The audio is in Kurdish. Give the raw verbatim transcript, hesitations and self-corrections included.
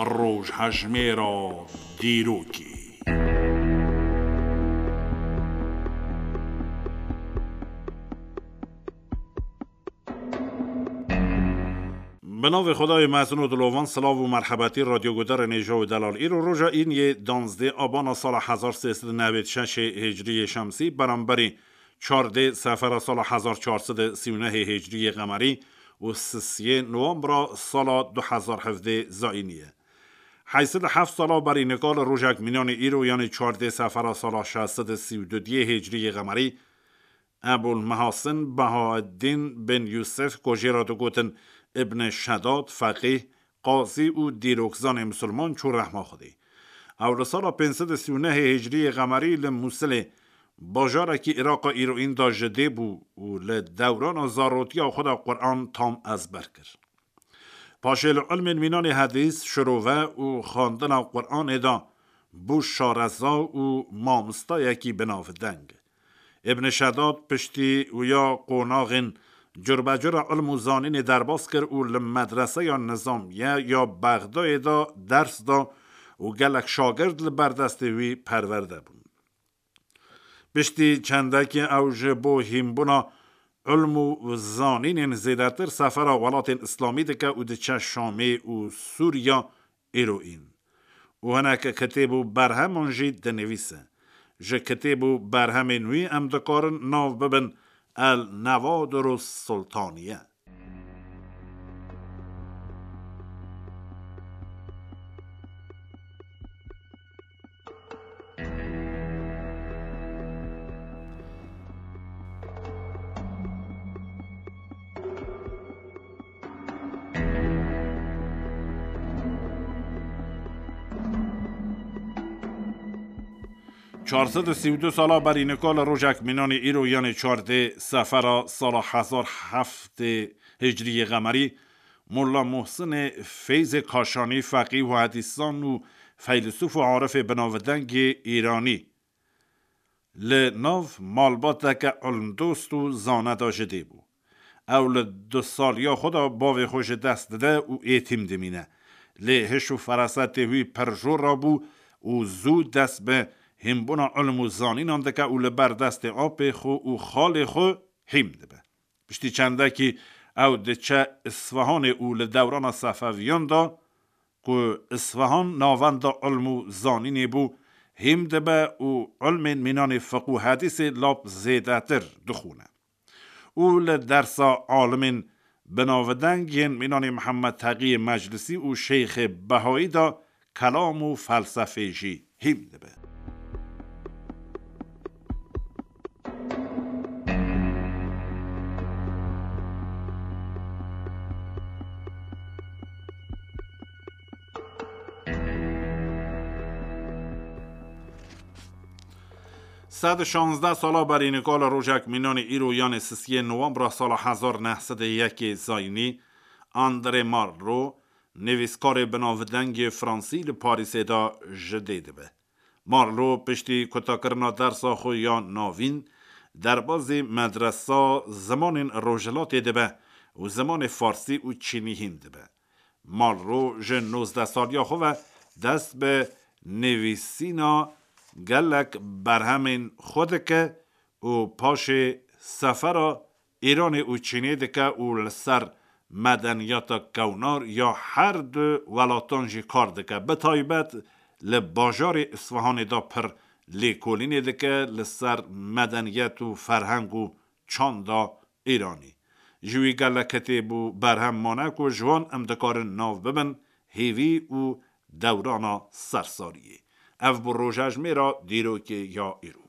Rojhejmêra dîrokê. Bi navê Xwedayê mezin û dilovan, silav û merhebetî radyogudarên hêja û delal. Îro roja îniyê danzdê abana sala hezar sê sed û newêd şeşê hicriyê şemsî, beramberî çardê sefera sala hezar çar sed û sî û nehê hicriyê qemerî û sisiyê nowembra sala du hezar hevdê zayînî ye. Heyt sed û heft sala berî nika li rojek mînanê îro, yanî çardê sefera sala şeş sed û sî û duyê hicriyê qemerî, Ebul Mehasin Bahaeddin bin Yusuf, ku jê re digotin Ibn Şedad, feqîh, qazî û dîrokzanê misilman, çû rehma Xwedê. Ew li sala pênc sed û sî û nehê hicriyê qemerî li Mûsilê, bajarekî Îraqa îroîn de ji dê bû û li dewrana zarotiya xwe de Quran tam ezber kir. Paşê li ilmên mînanê hedîs, şirove û xwendina Quranê de bû şareza û mamostayekî binavdeng. Ibn Şedad piştî wî ya qonaxên curbecura ilm û zanînê derbas kir û li medreseya nizamiye ya Bexdayê de ders da û gelek şagird li ber destê wî perwerde bûn. Piştî çendekê ew ji bo hînbûna ilm û zanînên zêdetir sefera welatên îslamî dike û diçe Şamê û Sûriya îroîn. Û hinek kitêb û berheman jî dinivîse. Ji kitêb û berhemên wî em dikarin nav bibin El Newadir Sultaniye. Çar sed û sî û du sala berî nika li rojek mînanê îro, yanê çardê sefera sala hezar heftê hicriyê qemerî, Molla Muhsinê Feyzê Kaşanî, feqîh û hedîsan û feylesûf û arifê binavdengê îranî, li nav malbateke ilmdost û zane de ji dê bû. Ew li du saliya xwe de bavê xwe ji dest dide û êtîm dimîne. Lê hiş û ferasetê wî pir jor rabû û zû dest bi hînbûna ilm û zanînan dike û li ber destê apê xwe û xalê xwe hîm dibe. Piştî çendekî ew diçe Isfahanê û li dewrana Sefeviyan de, ku Isfahan navenda ilm û zanînê bû, hîm dibe û ilmên mînanê fiqh û hedîsê lap zêdetir dixwîne. Û li dersa alimên binavdeng yên mînanê Mihemed Teqiyê Meclisî û Şeyxê Behayî de kelam û felsefê jî hîm dibe. Sed û şazdeh sala berî nika li rojek mînanê îro, yanê sisiyê nowembra sala hezar neh sed û yekê zayînî, André Malraux, nivîskarê binavdengê Fransî, li Parîsê de ji dê dibe. Malraux piştî kutakirina dersa xwe ya navîn, derbazî medresa zimanên rojhilatê dibe û zimanê farsî û çînî hîn dibe. Malraux ji nozdeh saliya xwe ve dest bi nivîsîna gelek berhemên xwe dike û paşê sefera Îranê û Çînê dike û li ser medeniyeta kewnar ya her du welatan jî kar dike. Bi taybet li bajarê Isfahanê de pir lêkolînê dike li ser medeniyet û ferheng û çanda Îranî. Ji wî gelek kitêb û berhem mane ku ji wan em dikarin nav bibin Hêvî û Dewrana Sersariyê. Ev bû rojejmêra dîrokê ya îro.